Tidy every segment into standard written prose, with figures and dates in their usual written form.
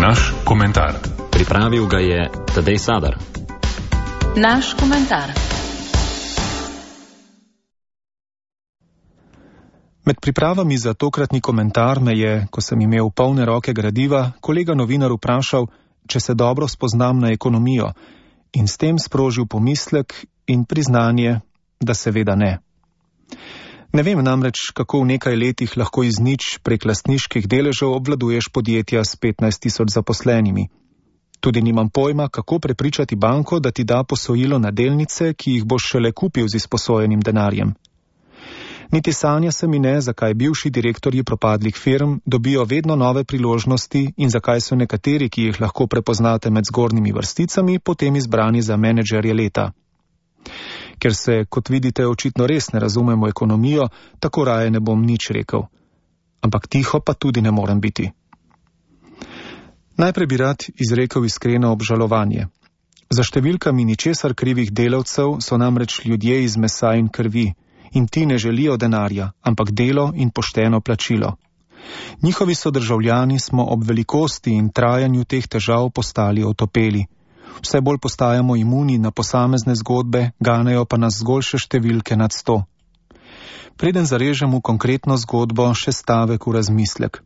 Naš komentar. Pripravil ga je Tadej Sadar. Naš komentar. Med pripravami za tokratni komentar me je, ko sem imel polne roke gradiva, kolega novinar vprašal, če se dobro spoznam na ekonomijo, in s tem sprožil pomislek in priznanje, da seveda ne. Ne vem namreč, kako v nekaj letih lahko iz nič prek lastniških deležev obvladuješ podjetja s 15.000 zaposlenimi. Tudi nimam pojma, kako prepričati banko, da ti da posojilo na delnice, ki jih boš šele kupil z izposojenim denarjem. Niti sanja se mi ne, zakaj bivši direktorji propadlih firm dobijo vedno nove priložnosti in zakaj so nekateri, ki jih lahko prepoznate med zgornjimi vrsticami, potem izbrani za menedžerje leta. Ker se, kot vidite, očitno res ne razumemo ekonomijo, tako raje ne bom nič rekel. Ampak tiho pa tudi ne morem biti. Najprej bi rad izrekel iskreno obžalovanje. Za številkami ničesar krivih delavcev so namreč ljudje iz mesa in krvi, in ti ne želijo denarja, ampak delo in pošteno plačilo. Njihovi sodržavljani smo ob velikosti in trajanju teh težav postali otopeli. Vse bolj postajamo imuni na posamezne zgodbe, ganejo pa nas zgolj še številke nad 100. Preden zarežem v konkretno zgodbo, še stavek v razmislek.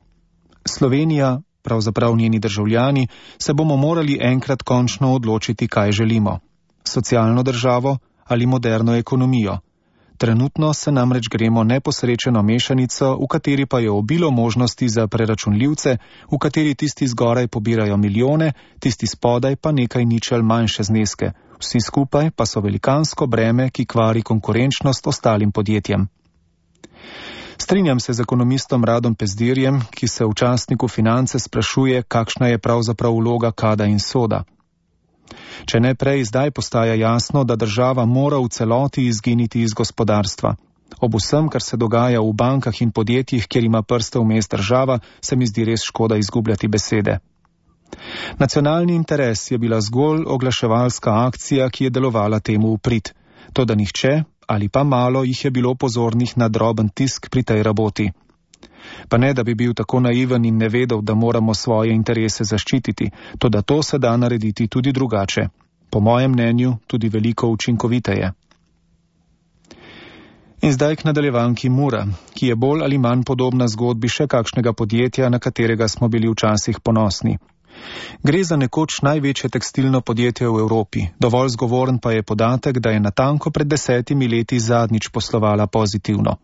Slovenija, pravzaprav njeni državljani, se bomo morali enkrat končno odločiti, kaj želimo. Socialno državo ali moderno ekonomijo. Trenutno se namreč gremo neposrečeno mešanico, v kateri pa je obilo možnosti za preračunljivce, v kateri tisti zgoraj pobirajo milijone, tisti spodaj pa nekaj ničel manjše zneske. Vsi skupaj pa so velikansko breme, ki kvari konkurenčnost ostalim podjetjem. Strinjam se z ekonomistom Radom Pezdirjem, ki se v časniku Finance sprašuje, kakšna je pravzaprav vloga Kada in Soda. Če ne prej, zdaj postaja jasno, da država mora v celoti izginiti iz gospodarstva. Ob vsem, kar se dogaja v bankah in podjetjih, kjer ima prste vmes država, se mi zdi res škoda izgubljati besede. Nacionalni interes je bila zgolj oglaševalska akcija, ki je delovala temu v prid. Toda nihče ali pa malo jih je bilo pozornih na droben tisk pri tej raboti. Pa ne, da bi bil tako naiven in ne vedel, da moramo svoje interese zaščititi, toda to se da narediti tudi drugače. Po mojem mnenju tudi veliko učinkoviteje. In zdaj k nadaljevanki Mura, ki je bolj ali manj podobna zgodbi še kakšnega podjetja, na katerega smo bili včasih ponosni. Gre za nekoč največje tekstilno podjetje v Evropi, dovolj zgovoren pa je podatek, da je natanko pred 10 leti zadnjič poslovala pozitivno.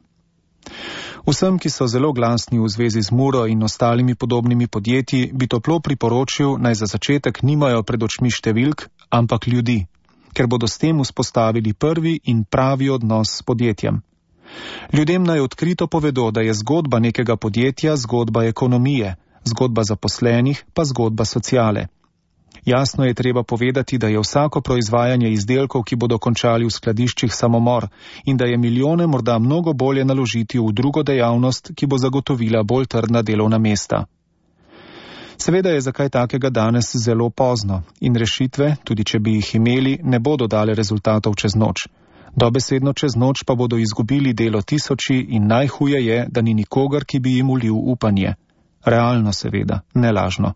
Vsem, ki so zelo glasni v zvezi z Muro in ostalimi podobnimi podjetji, bi toplo priporočil, naj za začetek nimajo pred očmi številk, ampak ljudi, ker bodo s tem vzpostavili prvi in pravi odnos s podjetjem. Ljudem naj odkrito povedo, da je zgodba nekega podjetja zgodba ekonomije, zgodba zaposlenih pa zgodba sociale. Jasno je treba povedati, da je vsako proizvajanje izdelkov, ki bodo končali v skladiščih, samomor in da je milijone morda mnogo bolje naložiti v drugo dejavnost, ki bo zagotovila bolj trdna delovna mesta. Seveda je za kaj takega danes zelo pozno in rešitve, tudi če bi jih imeli, ne bodo dale rezultatov čez noč. Dobesedno čez noč pa bodo izgubili delo tisoči in najhuje je, da ni nikogar, ki bi jim ulil upanje. Realno seveda, ne lažno.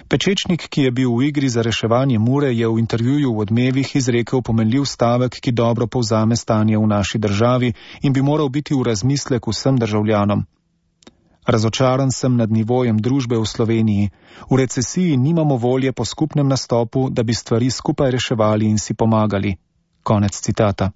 Pečečnik, ki je bil v igri za reševanje Mure, je v intervjuju v Odmevih izrekel pomenljiv stavek, ki dobro povzame stanje v naši državi in bi moral biti v razmislek vsem državljanom. Razočaran sem nad nivojem družbe v Sloveniji. V recesiji nimamo volje po skupnem nastopu, da bi stvari skupaj reševali in si pomagali. Konec citata.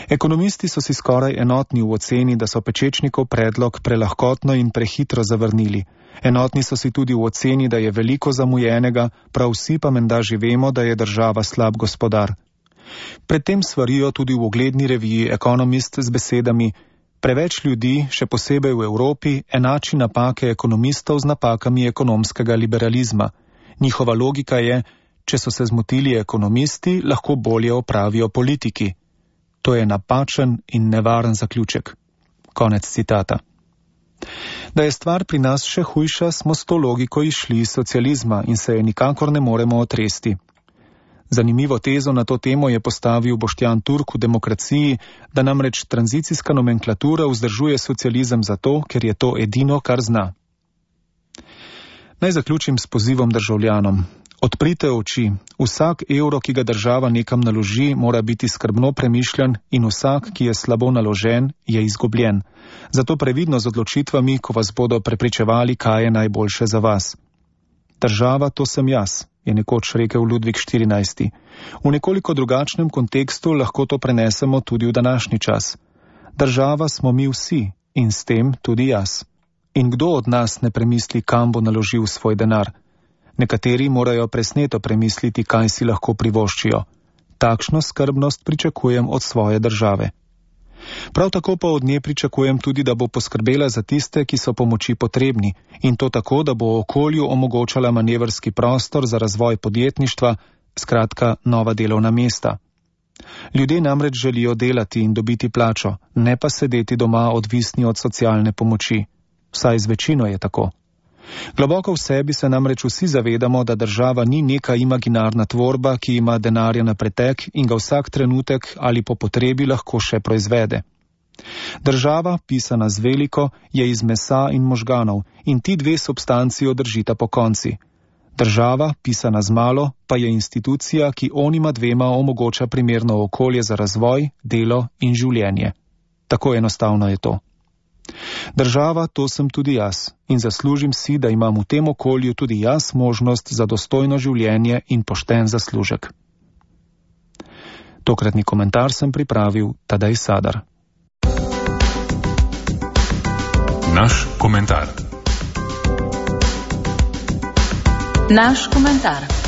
Ekonomisti so si skoraj enotni v oceni, da so Pečečnikov predlog prelahkotno in prehitro zavrnili. Enotni so si tudi v oceni, da je veliko zamujenega, prav vsi pa menda že vemo, da je država slab gospodar. Predtem svarijo tudi v ugledni reviji Economist z besedami: preveč ljudi, še posebej v Evropi, enači napake ekonomistov z napakami ekonomskega liberalizma. Njihova logika je, če so se zmotili ekonomisti, lahko bolje opravijo politiki. To je napačen in nevaren zaključek. Konec citata. Da je stvar pri nas še hujša, smo s to logiko išli iz socializma in se je nikakor ne moremo otresti. Zanimivo tezo na to temo je postavil Boštjan Turk v Demokraciji, da namreč tranzicijska nomenklatura vzdržuje socializem zato, ker je to edino, kar zna. Naj zaključim s pozivom državljanom. Odprite oči. Vsak evro, ki ga država nekam naloži, mora biti skrbno premišljen in vsak, ki je slabo naložen, je izgubljen. Zato previdno z odločitvami, ko vas bodo prepričevali, kaj je najboljše za vas. Država, to sem jaz, je nekoč rekel Ludvik XIV. V nekoliko drugačnem kontekstu lahko to prenesemo tudi v današnji čas. Država smo mi vsi in s tem tudi jaz. In kdo od nas ne premisli, kam bo naložil svoj denar? Nekateri morajo presneto premisliti, kaj si lahko privoščijo. Takšno skrbnost pričakujem od svoje države. Prav tako pa od nje pričakujem tudi, da bo poskrbela za tiste, ki so pomoči potrebni, in to tako, da bo okolju omogočala manevrski prostor za razvoj podjetništva, skratka nova delovna mesta. Ljudje namreč želijo delati in dobiti plačo, ne pa sedeti doma odvisni od socialne pomoči. Vsaj z večino je tako. Globoko v sebi se namreč vsi zavedamo, da država ni neka imaginarna tvorba, ki ima denarja na pretek in ga vsak trenutek ali po potrebi lahko še proizvede. Država, pisana z veliko, je iz mesa in možganov in ti dve substanci držita pokonci. Država, pisana z malo, pa je institucija, ki onima dvema omogoča primerno okolje za razvoj, delo in življenje. Tako enostavno je to. Država, to sem tudi jaz in zaslužim si, da imam v tem okolju tudi jaz možnost za dostojno življenje in pošten zaslužek. Tokratni komentar sem pripravil Tadej Sadar. Naš komentar. Naš komentar.